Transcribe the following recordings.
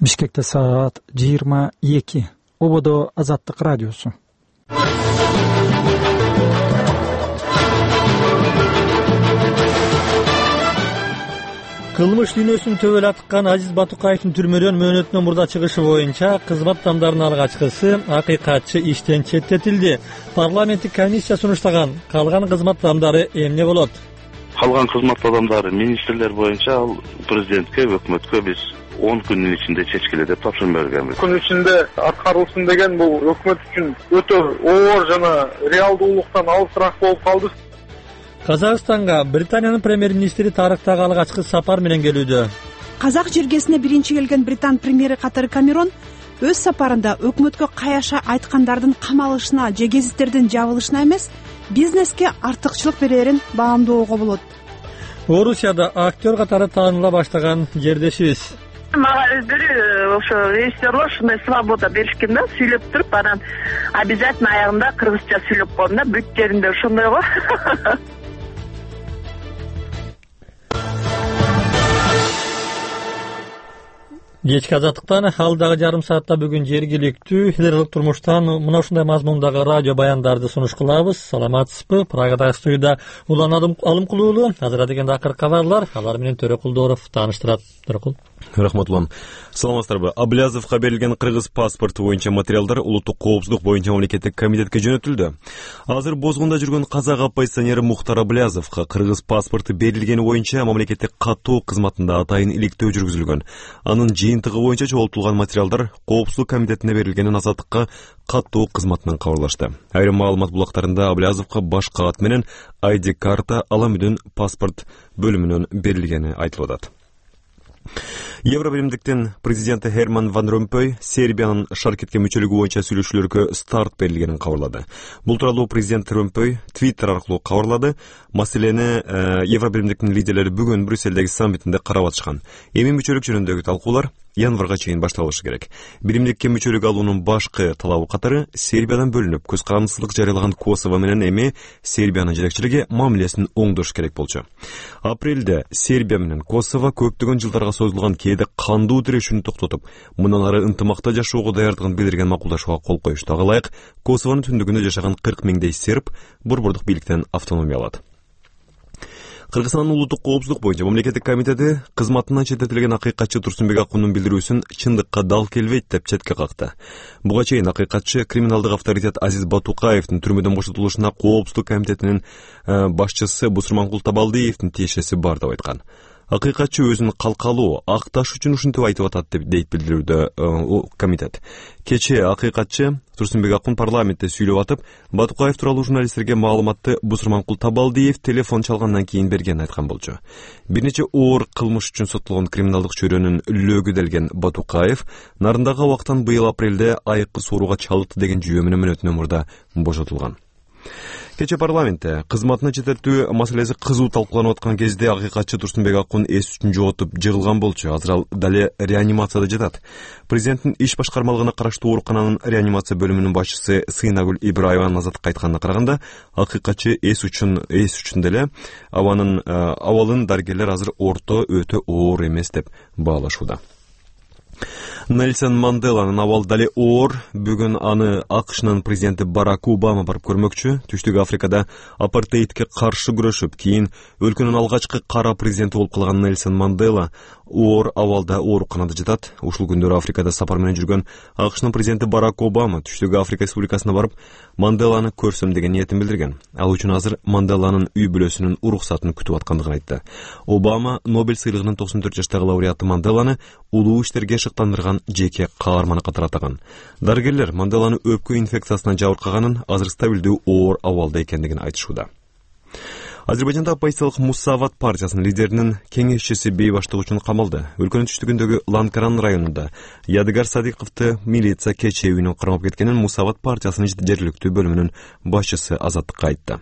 Бишкекте саат 22. Ободо Азаттык радиосу. Кылмыш дүйнөсүн төбөлаткан Азиз Батукаевдин түрмөдөн мөөнөтүнөн мурда чыгышы боюнча кызмат адамдарынын алгачкысы акыйкатчы иштен четтетилди. Парламенттик комиссия сунуштаган калган кызмат адамдары эмне болот? Калган кызмат адамдары министрлер боюнча ал президентке, өкмөткө биз 10 күндүн ичинде чечкиле деп тапшырма бергенбиз. Күн ичинде аткарылсын деген бул өкмөт үчүн өтө оор жана реалдуулуктан алысыраак болуп калды. Казакстанга Британиянын премьер-министри тарыхтагы алгачкы сапар менен келүүдө. Казак жергесине биринчи келген Британ премьери катары Камерон өз сапарында өкмөткө каяша айткандардын камалышына же гезиттердин жабылышына эмес, бизнеске артыкчылык берерин баамдоого болот. Орусияда актер катары тааныла баштаган жердешибиз. Мага өздөрү ошо режиссерлор ушундай свобода беришкен да, сүйлөп туруп, анан обязательно аягында кыргызча сүйлөп коем да, бүт жеринде ошондой го. Кечки азаттыктан алдагы жарым саатта бүгүн жергиликтүү элдик турмуштан мына ушундай мазмундагы радио баяндарды сунуш кылабыз. Саламатсызбы? Прагадагы студияда Улан Алымкулуулу, азыр дегенде акыркы кабарлар, алар менен Төрөкулдоров тааныштырат. Төрөкул. Рахмат улан. Саламатсыздарбы? Аблязовго берилген кыргыз паспорту боюнча материалдар улуттук коопсуздук боюнча мамлекеттик комитетке жөнөтүлдү. Азыр бозгунда жүргөн казак оппозиционери Мухтар Аблязовго кыргыз паспорту берилгени боюнча мамлекеттик каттоо кызматында атайын иликтөө жүргүзүлгөн. Анын жыйынтыгы боюнча чогултулган материалдар коопсуздук комитетине берилгенин Азаттыкка каттоо кызматынан кабарлашты. Айрым маалымат булактарында Аблязовго баш каат менен ID карта Аламүдүн паспорт бөлүмүнөн берилгени айтылып атат. Евробиримдиктин президенти Херман Ван Ромпой Сербиянын шаркетке мүчөлүгү боюнча сүйлөшүүлөргө старт берилгенин кабарлады. Бул тууралуу президент Ромпой Твиттер аркылуу кабарлады. Маселени Евробиримдиктин лидерлери бүгүн Брюссельдеги саммитинде карап атышкан. Эми мүчөлүк жөнүндөгү талкуулар январга чейин башталышы керек. Биримдикке мүчөлүк алуунун башкы талабы катары Сербиядан бөлүнүп, көз карандысыздык жарыялаган Косово менен эми Сербиянын жетекчилиги мамилесин оңдош керек болчу. Апрелде Сербия менен Косово көптөгөн жылдарга созулган кээде кандуу тирешүүнү токтотуп, мындан ары ынтымакта жашоого даярдыгын билдирген макулдашууга кол коюшту. Ага ылайык Косовонун түндүгүндө жашаган 40 миңдей серб борбордук бийликтен автономия алат. Кыргызстандын улуттук коопсуздук боюнча мамлекеттик комитети кызматынан четтетилген акыйкатчы Турсунбек Акундун билдирүүсүн чындыкка дал келбейт деп четке какты. Буга чейин акыйкатчы криминалдык авторитет Азиз Батукаевдин түрмөдөн бошотулушуна коопсуздук комитетинин башчысы Бусурманкул Табалдиевдин тиешеси бар деп айткан. Акыйкатчы өзүн калкалуу, акташ үчүн ушинтип айтып атат деп дейт билдирүүдө комитет. Кечээ акыйкатчы Турсунбек Акун парламентте сүйлөп атып, Батукаев тууралуу журналисттерге маалыматты Бусурманкул Табалдиев телефон чалгандан кийин бергенин айткан болчу. Бир нече оор кылмыш үчүн соттолгон криминалдык чөйрөнүн лөгү делген Батукаев нарындагы абактан быйыл апрелде айыккы сооруга чалыкты деген жүйө менен мөөнөтүнөн мурда бошотулган. Кече парламентте кызматына четтетүү маселеси кызуу талкууланып аткан кезде акыйкатчы Турсунбек Акун эс үчүн жоготуп жыгылган болчу. Азыр ал дале реанимацияда жатат. Президенттин иш башкармалыгына караштуу оорукананын реанимация бөлүмүнүн башчысы Сыйнагүл Ибраеванын Азаттыкка айтканына караганда, акыйкатчы эс үчүн деле абалын дарыгерлер азыр өтө оор эмес деп баалашууда. Нельсон Манделанын абалы дале оор. Бүгүн аны АКШнын президенти Барак Обама барып көрмөкчү. Түштүк Африкада апартеидке каршы күрөшүп, кийин өлкөнүн алгачкы кара президенти болуп калган Нельсон Мандела оор абалда ооруканада жатат. Ушул күндөрү Африкада сапар менен жүргөн АКШнын президенти Барак Обама Түштүк Африка Республикасына барып, Манделаны көрсөм деген ниетин билдирген. Ал үчүн азыр Манделанын үй бүлөсүнүн уруксатын күтүп аткандыгын айтты. Обама Нобель сыйлыгынын 94 жаштагы лауреаты Манделаны улуу иштерге шыктандырган жеке каарманы катары атаган. Дарыгерлер Манделаны өпкө инфекциясынан жабыркаганын, азыр стабилдүү оор абалда экендигин айтышууда. Азербайжанда оппозициялык Муссават партиясынын лидеринин кеңешчиси бейбаштык үчүн камалды. Өлкөнүн түштүгүндөгү Ланкаран районунда Ядыгар Садыковду милиция кечээ үйүнөн кармап кеткенин Муссават партиясынын жергиликтүү бөлүмүнүн башчысы Азаттыкка айтты.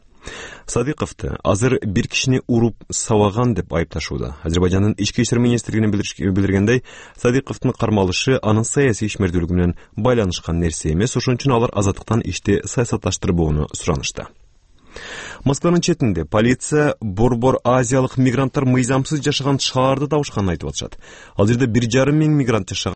Садыковду азыр бир кишини уруп сабаган деп айыпташууда. Азербайжандын ички иштер министрлигинин билдиргендей, Садыковдун кармалышы анын саясий ишмердүүлүгү менен байланышкан нерсе эмес, ошон үчүн алар Азаттыктан ишти саясатташтырбоону суранышты. Москванын четинде полиция борбор азиялык мигранттар мыйзамсыз жашаган шаарды табышканын айтып атышат. Ал жерде 1,5 миң мигрант жашаган.